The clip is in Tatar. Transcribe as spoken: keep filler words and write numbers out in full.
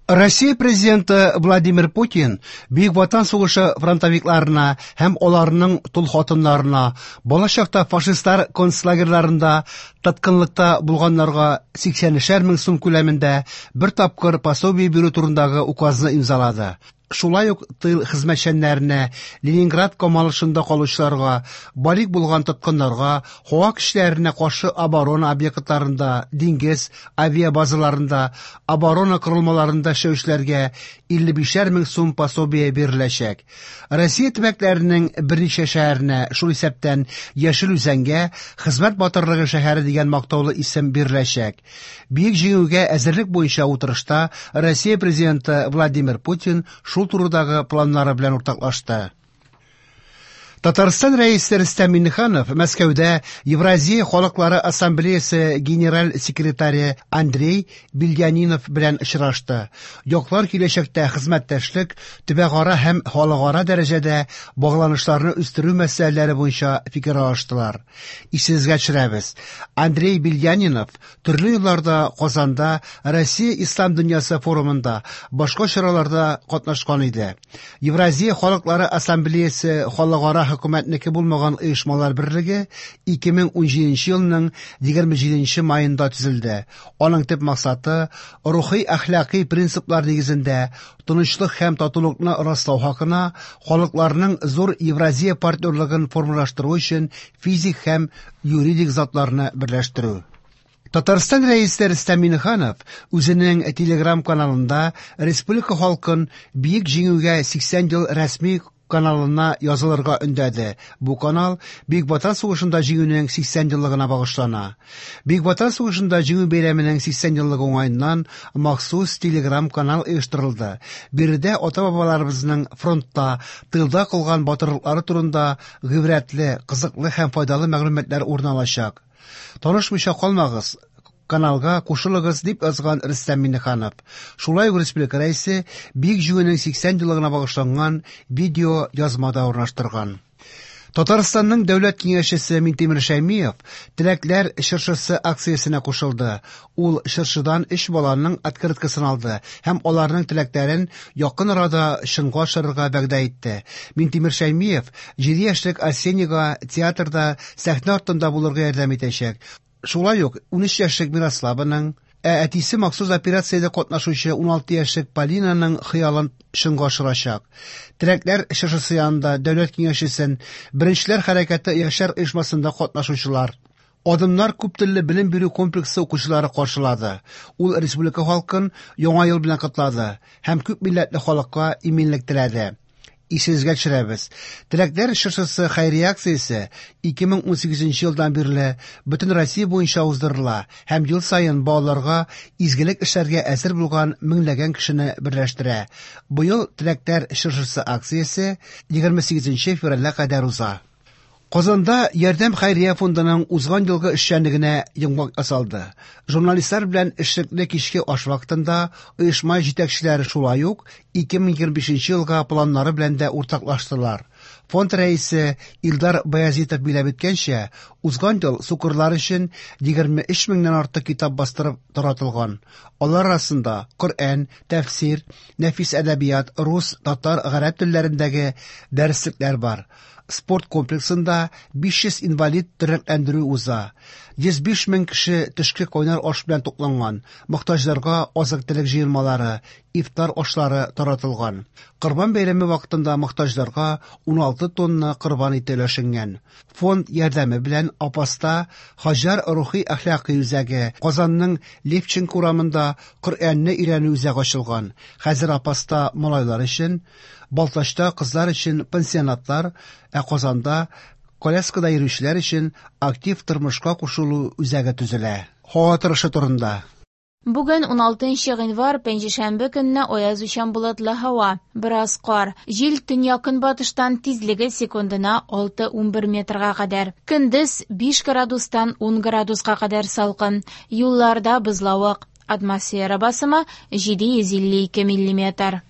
Россия президенты Владимир Путин Бөек Ватан сугышы фронтовикларына һәм аларның тол хатыннарына, балачакта фашистлар концлагерьларында тоткынлыкта булганнарга сиксәнешәр мең сум күләмендә бер тапкыр пособие бирү турындагы указны имзалады. Шулай ук тыл хезмәтчәннәренә, Ленинград камалышында калучыларга, балигъ булган тоткыннарга, һава көчләренә каршы оборона объектларында, диңгез авиабазаларында, оборона корылмаларында эшләүчеләргә илле бишәр мең сум пособие биреләчәк. Россия төбәкләренең берничә шәһәренә, шул исәптән Яшел Үзәнгә, Хезмәт батырлыгы шәһәре дигән мактаулы исем биреләчәк. Бөек Җиңүгә әзерлек буенча утырышта Россия президенты Владимир Путин шул турыдагы планнары белән уртаклашты. Татарстан рәисе Рөстәм Миңнеханов Мәскәүдә Евразия халыклары ассамблеясы генераль секретаре Андрей Бельянинов белән очрашты. Яклар киләчәктә хезмәттәшлек, төбәкара һәм халыкара дәрәҗәдә багланышларны үстерү мәсьәләләре буенча фикер алыштылар. Исегезгә төшерәбез, Андрей Бельянинов төрле елларда Казанда Россия Ислам дөньясы форумында, башка чараларда катнашкан иде. Евразия халыклары ассамблеясы халыкара хөкүмәтнеке булмаган оешмалар берлеге ике мең унҗиденче елның егерме җиденче маенда төзелде. Аның төп максаты рухи әхлакый принциплар нигезендә тынычлык һәм татулыкны раслау хакына халыкларның зур Евразия партнерлыгын формалаштыру өчен физик һәм юридик затларны берләштерү. Татарстан рәисе Рөстәм Миңнеханов үзенең Телеграм каналында республика халкын Бөек Җиңүгә сиксән ел рәсми каналына язылырга өндәде. Бу канал Бөек Ватан сугышында җиңүнең сиксән еллыгына багышлана. Бөек Ватан сугышында җиңү бәйрәменең сиксән еллыгы уңаеннан махсус Телеграм канал оештырылды. Биредә ата-бабаларыбызның фронтта, тылда кылган батырлыклары турында гыйбрәтле, кызыклы һәм файдалы мәгълүматлар урын алачак. Танышмыйча калмагыз, каналга кушылыгыз, дип язган Рөстәм Миңнеханов. Шулай ук республика рәисе Бөек Җиңүнең сиксән еллыгына багышланган видео язма да урнаштырган. Татарстанның дәүләт киңәшчесе Минтимер Шәймиев Теләкләр чыршысы акциясенә кушылды. Ул чыршыдан өч баланың открыткасын алды һәм аларның теләкләрен якын арада чынга ашырырга вәгъдә итте. Минтимер Шәймиев җиде яшьлек Арсенийга театрда сәхнә артында булырга ярдәм итәчәк. Шулай ук унөч яшьлек Мирославаның, ә әтисе махсус операциядә катнашучы уналты яшьлек Полинаның хыялын чынга ашырачак. Теләкләр чыршысы янында дәүләт киңәшчесен Беренчеләр хәрәкәте яшьләр оешмасында катнашучылар, Адымнар күп телле белем бирү комплексы укучылары каршылады. Ул республика халкын Яңа ел белән котлады һәм күп милләтле халыкка иминлек теләде. Исегезгә төшерәбез, Теләкләр чыршысы хәйрия акциясе ике мең унсигезенче елдан бирле бөтен Россия буенча уздырыла һәм ел саен балаларга изгелек эшләргә әзер булган меңләгән кешене берләштерә. Быел Теләкләр чыршысы акциясе егерме сигезенче февральгә кадәр уза. Казанда Ярдәм хәйрия фондының узган елгы эшчәнлегенә йомгак ясалды. Журналистлар белән эшлекле кичке аш вакытында оешма җитәкчеләре шулай ук ике мең егерме бишенче елга планнары белән дә уртаклаштылар. Фонд рәисе Илдар Баязитов биләп үткәнчә, узган ел сукырлар өчен егерме өч меңнән артык китап бастырып таратылган. Алар арасында Коръән, тәфсир, нәфис әдәбият, рус, татар, гарәп телләрендәге дәреслекләр бар. Спорт комплексында биш йөз инвалид тернәкләндерү уза. Йөз биш мең кеше төшке кайнар аш белән тукланган. Мохтаҗларга азык-төлек җыелмалары, ифтар ашлары таратылган. Корбан бәйрәме вакытында мохтаҗларга уналты тонна корбан ите өләшенгән. Фонд ярдәме белән Апаста Хаҗар рухи әхлакый үзәге, Казанның Левченко урамында Коръәнне өйрәнү үзәге ачылган. Хәзер Апаста малайлар өчен, Балтачта кызлар өчен пансионатлар, ә Казанда коляскада йөрүчеләр өчен актив тормышка кушылу үзәге төзелә. Һава торышы турында. Бүген уналтынчы гыйнвар, пәнҗешәмбе көнне аяз учан болытлы һава, бераз кар. Җил төньяк-көнбатыштан тизлеге секундына алты унбер метрга кадәр. Көндез биш градустан ун градуска кадәр салкын. Юлларда бозлавык. Атмосфера басымы җиде йөз илле ике миллиметр.